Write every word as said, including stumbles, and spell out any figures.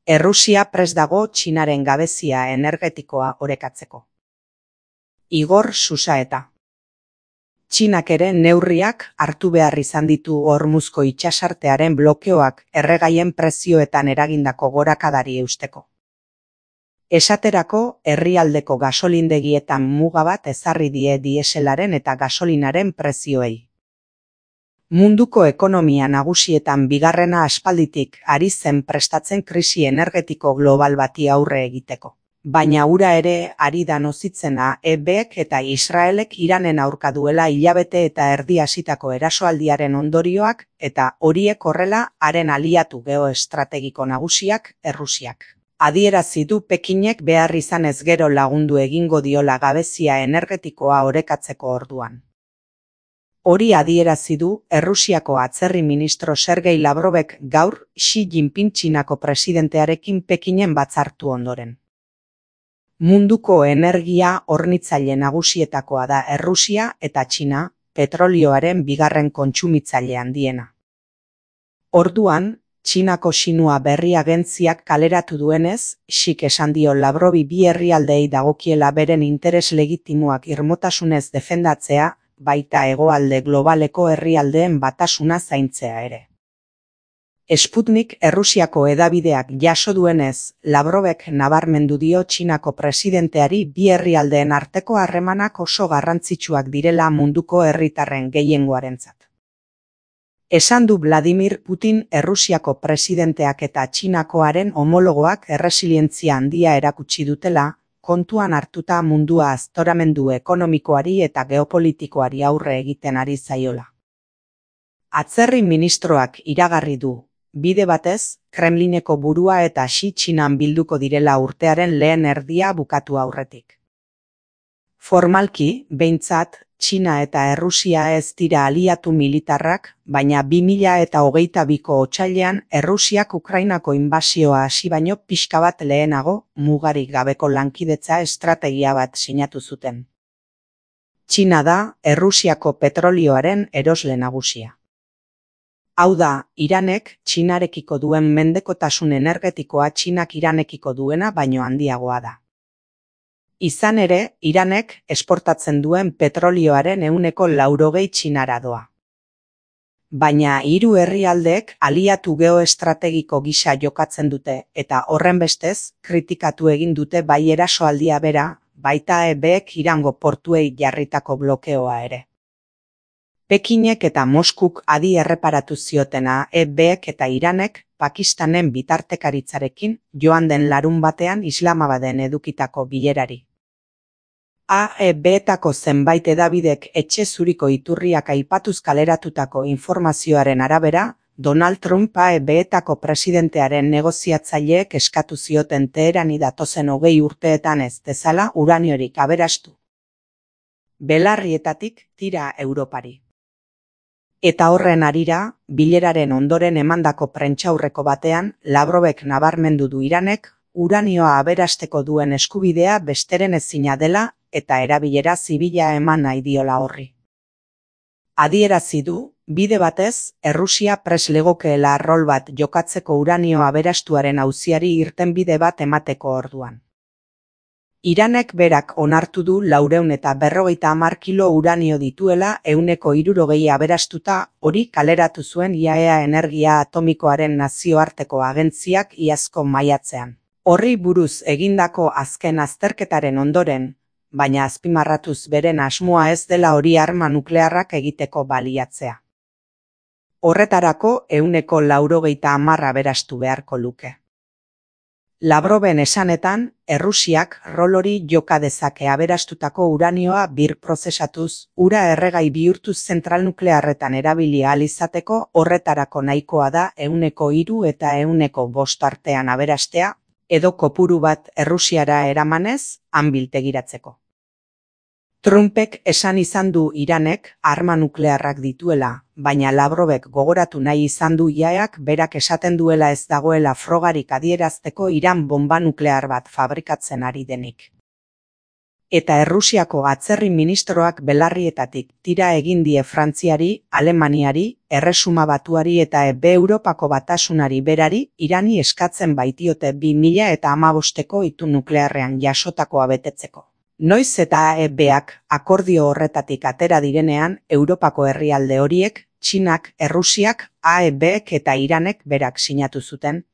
Errusia prest dago Txinaren gabezia energetikoa orekatzeko. Igor Susaeta. Txinak ere neurriak hartu behar izan ditu Hormuzko itsasartearen blokeoak erregaien prezioetan eragindako gorakadari eusteko. Esaterako, herrialdeko gasolindegietan muga bat ezarri die dieselaren eta gasolinaren prezioei. Munduko ekonomia nagusietan bigarrena aspalditik ari zen prestatzen krisi energetiko global bati aurre egiteko. Baina ura ere ari da nozitzena E Bek eta Israelek Iranen aurka duela hilabete eta erdi hasitako erasoaldiaren ondorioak eta horiek horrela haren aliatu geoestrategiko nagusiak Errusiak. Adierazi du Pekinek behar izanez gero lagundu egingo diola gabezia energetikoa orekatzeko orduan. Hori adierazi du Errusiako atzerri ministro Sergei Lavrovek gaur Xi Jinping Txinako presidentearekin Pekinen batzartu ondoren. Munduko energia hornitzaile nagusietakoa da Errusia eta Txina, petrolioaren bigarren kontsumitzaile handiena. Orduan, Txinako Xinhua berri agentziak kaleratu duenez, Xik esan dio Lavrovi bi herrialdeei dagokiela beren interes legitimoak irmotasunez defendatzea, baita hegoalde globaleko herrialdeen batasuna zaintzea ere. Sputnik Errusiako hedabideak jaso duenez, Lavrovek nabarmendu dio Txinako presidenteari bi herrialdeen arteko harremanak oso garrantzitsuak direla munduko herritarren gehiengoarentzat. Esan du Vladimir Putin Errusiako presidenteak eta Txinakoaren homologoak erresilientzia handia erakutsi dutela, kontuan hartuta mundua aztoramendu ekonomikoari eta geopolitikoari aurre egiten ari zaiola. Atzerri ministroak iragarri du, bide batez, Kremlineko burua eta Xi Txinan bilduko direla urtearen lehen erdia bukatu aurretik. Formalki, behintzat, Txina eta Errusia ez dira aliatu militarrak, baina bi mila eta hogeita biko otsailean Errusiak Ukrainako inbasioa hasi baino pixka bat lehenago mugarik gabeko lankidetza estrategia bat sinatu zuten. Txina da Errusiako petrolioaren erosle nagusia. Hau da, Iranek Txinarekiko duen mendekotasun energetikoa Txinak Iranekiko duena baino handiagoa da. Izan ere, Iranek esportatzen duen petrolioaren ehuneko laurogei Txinara doa. Baina hiru herrialdeek aliatu geoestrategiko gisa jokatzen dute eta horrenbestez kritikatu egin dute bai erasoaldia bera, baita E Bek Irango portuei jarritako blokeoa ere. Pekinek eta Moskuk adi erreparatu ziotena E Bek eta Iranek Pakistanen bitartekaritzarekin joan den larun batean Islamabaden edukitako bilerari. A E Betako zenbait hedabidek etxe zuriko iturriak aipatuz kaleratutako informazioaren arabera, Donald Trump A E Betako presidentearen negoziatzaileek eskatu zioten Teherani datozen hogei urteetan ez dezala uraniorik aberastu. Belarrietatik tira Europari. Eta horren harira, bileraren ondoren emandako prentsaurreko batean, Lavrovek nabarmendu du Iranek, uranioa aberasteko duen eskubidea besteren ezina dela eta erabilera zibila eman nahi diola horri. Adierazi du, bide batez, Errusia prest legokeela rol bat jokatzeko uranio aberastuaren auziari irtenbide bat emateko orduan. Iranek berak onartu du laurehun eta berrogeita hamar kilo uranio dituela ehuneko hirurogei aberastuta, hori kaleratu zuen I A E A Energia Atomikoaren nazioarteko agentziak iazko maiatzean. Horri buruz egindako azken azterketaren ondoren, baina azpimarratuz beren asmoa ez dela hori arma nuklearrak egiteko baliatzea. Horretarako ehuneko laurogeita hamar aberastu beharko luke. Lavroven esanetan, Errusiak rol hori joka dezake aberastutako uranioa bir prozesatuz, ura erregai bihurtuz zentral nuklearretan erabili ahal izateko horretarako nahikoa da ehuneko hiru eta ehuneko bost artean aberastea, edo kopuru bat Errusiara eramanez, han biltegiratzeko. Trumpek esan izan du Iranek arma nuklearrak dituela, baina Lavrovek gogoratu nahi izan du I A E Ak berak esaten duela ez dagoela frogarik adierazteko Iran bomba nuklear bat fabrikatzen ari denik. Eta Errusiako atzerri ministroak belarrietatik tira egin die Frantziari, Alemaniari, Erresuma Batuari eta Ebe Europako Batasunari berari Irani eskatzen baitiote bi mila eta hamabosteko itun nuklearrean jasotakoa betetzeko. Noiz eta A E Bak akordio horretatik atera direnean, Europako herrialde horiek, Txinak, Errusiak, A E Bek eta Iranek berak sinatu zuten